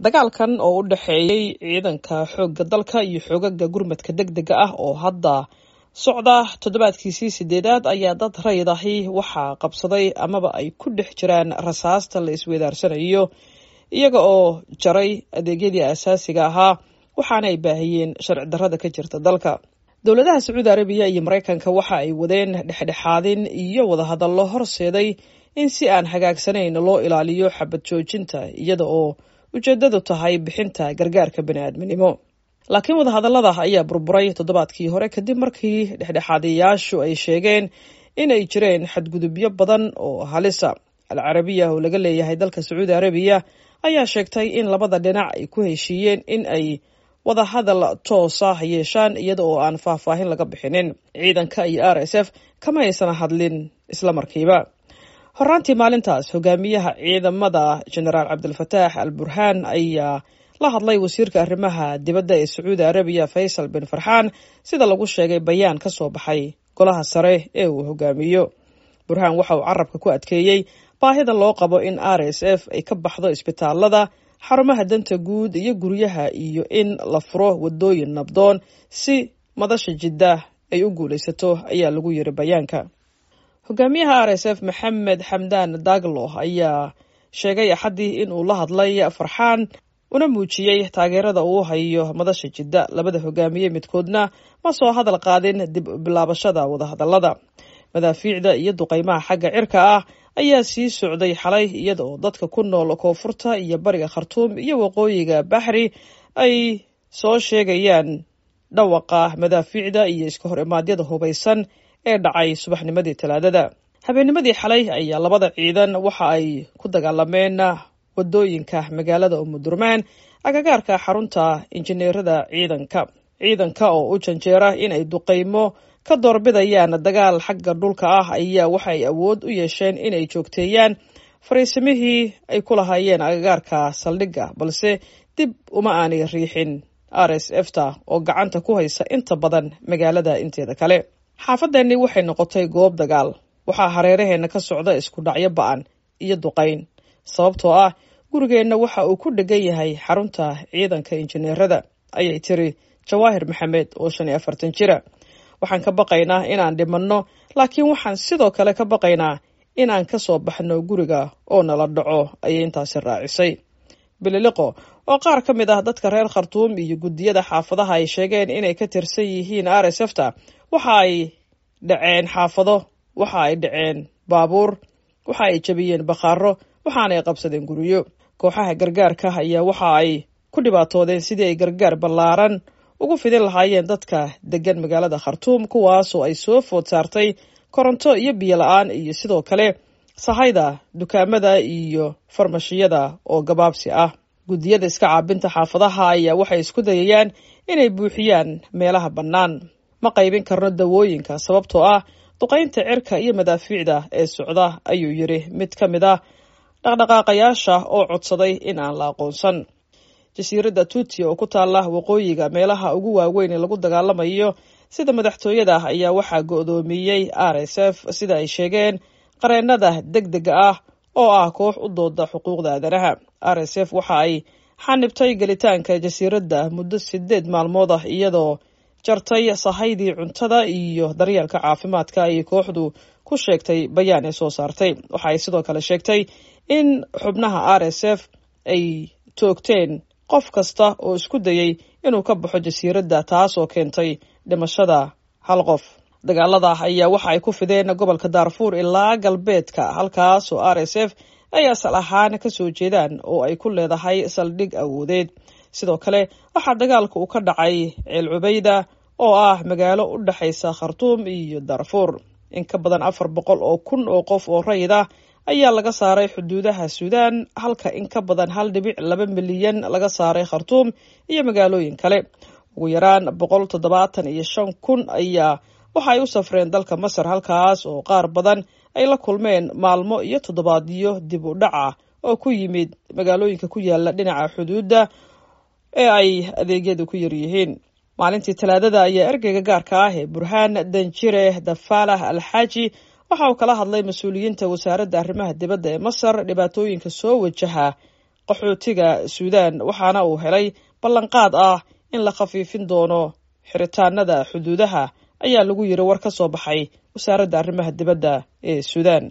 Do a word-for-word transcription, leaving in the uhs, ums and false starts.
Dagaalkan oo u dhexeeyey ciidanka xoogga dalka iyo xoogaga gurmadka degdega ah oo hadda socda toddobaadkiisii sideedaad ayaa dad rayid ahi waxaa qabsaday amaba ay ku dhex jiraan rasaasta la isweydaarsanayo, iyaga oo jaray adeegyadii asaasiga ahaa, waxaana ay baahiyeen sharci darrada ka jirta dalka. Dowladaha Sacuudi Arabiya iyo Maraykanka waxa ay wadeen dhexdhexaadin iyo wadahadallo horseeday in si aan hagaagsanayn loo ilaaliyo xabad joojinta, iyada oo ujeedadu tahay bixinta gargaarka bani'aadminimo. Laakiin wadahadallada ayaa burburay toddobaadkii hore kadib markii dhexdhexaadiyayaashu ay sheegeen inay jireen xadgudubyo badan oo halisa. Al Carabiya oo laga leeyahay dalka Sacuudi Arabiya ayaa sheegtay in labada dhinac ay ku heshiiyeen in ay wadahadal toosa yeeshaan, iyada oo aan faahfaahin laga bixinin. Ciidanka iyo R S F kama aysan hadlin isla markiiba. Horaantii maalintaas, hogaamiyaha ciidamada Genaraal Cabdilfataax Al Burhaan ayaa la hadlay wasiirka arrimaha dibadda ee Sacuudi Arabiya, Faysal bin Farxaan, sida lagu sheegay bayaan ka soo baxay golaha sare ee uu hogaamiyo. Burhaan waxa uu carabka ku adkeeyey baahida loo qabo in R S F ay ka baxdo isbitaalada, xarumaha danta guud iyo guryaha, iyo in la furo wadooyin nabdoon si madasha Jidda ay u guulaysato, ayaa lagu yiri bayaanka. Hogaamiyaha R S F Maxamed Xamdaan Daglo ayaa sheegay Axaddii in uu la hadlay Farxaan una muujiyey taageerada uu hayo madasha Jidda. Labada hogaamiye midkoodna ma soo hadal qaadin dib bilaabashada wadahadalada. Madaafiicda iyo duqeymaha xagga cirka ah ayaa sii socday xalay, iyada oo dadka ku nool koonfurta iyo bariga Khartuum iyo waqooyiga Baxri ay soo sheegayaan dhawaqa madaafiicda iyo iska hor imaadyada hubaysan ee dhacay subaxnimadii Talaadada. Habeennimadii xalay ayaa labada ciidan waxa ay ku dagaalameen wadooyinka magaalada Umudurmaan, agagaarka xarunta injineerada ciidanka. Ciidanka oo u janjeera inay duqeymo ka doorbidayaan dagaal xagga dhulka ah ayaa waxay awood u yeesheen inay joogteeyaan fariisimihii ay ku lahaayeen agagaarka saldhigga, balse dib uma aanay riixin R S F ta oo gacanta ku haysa inta badan magaalada inteeda kale. "Xaafadeenni waxay noqotay goob dagaal. Waxaa hareeraheenna ka socda isku dhacyo ba'an iyo duqayn, sababtoo ah gurigeenna waxa uu ku dhegan yahay xarunta ciidanka injineerada," ayay tiri Jawaahir Maxamed oo shan iyo afartan jira. "Waxaan ka baqaynaa inaan dhimanno, laakiin waxaan sidoo kale ka baqaynaa inaan ka soo baxno guriga oo nala dhaco," ayay intaasi raacisay. Bililiqo oo qaar ka mid ah dadka reer Khartuum iyo guddiyada xaafadaha ay sheegeen inay ka tirsan yihiin R S F ta. Waxa ay dhaceen xaafado, waxa ay dhaceen baabuur, waxa ay jabiyeen bakhaaro, waxaanay qabsadeen guryo. Kooxaha gargaarka ayaa waxa ay ku dhibaatoodeen sidii ay gargaar ballaaran ugu fidin lahaayeen dadka degan magaalada Khartuum, kuwaasoo ay soo food saartay koronto iyo biyo la-aan, iyo sidoo kale sahayda dukaamada iyo farmashiyada oo gabaabsi ah. Guddiyada iska caabinta xaafadaha ayaa waxay isku dayayaan inay buuxiyaan meelaha bannaan. "Ma qaybin karno dawooyinka sababtoo ah duqaynta cirka iyo madaafiicda ee socda," ayuu yiri mid ka mid ah dhaqdhaqaaqayaasha oo codsaday in aan la aqoonsan. Jasiiradda Tuuti oo ku taala waqooyiga meelaha ugu waaweyn ee lagu dagaalamayo sida madaxtooyada ayaa waxaa go'doomiyey R S F, sida ay sheegeen qareennada degdega ah oo ah koox u dooda xuquuqda aadanaha. R S F waxa ay xanibtay gelitaanka jasiiradda muddo sideed maalmood ah, iyadoo jartay sahaydii cuntada iyo daryeelka caafimaadka, ayay kooxdu ku sheegtay bayaan ay soo saartay. Waxa ay sidoo kale sheegtay in xubnaha R S F ay toogteen qof kasta oo isku dayay inuu ka baxo jasiiradda, taas oo keentay dhimashada hal qof. Dagaalada ayaa waxa ay ku fideen gobolka Daarfuur ilaa galbeedka, halkaas oo R S F ay asal ahaan kasoo jeedaan oo ay ku leedahay saldhig awoodeed. Sidoo kale waxaa dagaalka uu ka dhacay Ceel Cubayda oo ah magaalo u dhexaysa Khartuum iyo Darfuur. In ka badan afar boqol oo kun oo qof oo rayid ah ayaa laga saaray xuduudaha Suudaan, halka in ka badan hal dhibic laba milyan laga saaray Khartuum iyo magaalooyin kale. Ugu yaraan boqol toddobaatan iyo shan kun ayaa waxa ay u safreen dalka Masar, halkaas oo qaar badan ay la kulmeen maalmo iyo toddobaadyo dib u dhac ah oo ku yimid magaalooyinka ku yaala dhinaca xuduudda ee ay adeegyadu ku yaryihiin. Maalintii Talaadada ayaa ergeyga gaarka ah ee Burhaan, Danjire Dafalah Alxaaji, waxa uu kala hadlay mas-uuliyiinta wasaaradda arrimaha dibadda ee Masar dhibaatooyinka soo wajaha qaxootiga Suudaan, waxaana uu helay ballanqaad ah in la khafiifin doono xiritaanada xuduudaha, ayaa lagu yiri war ka soo baxay wasaaradda arrimaha dibadda ee Suudaan.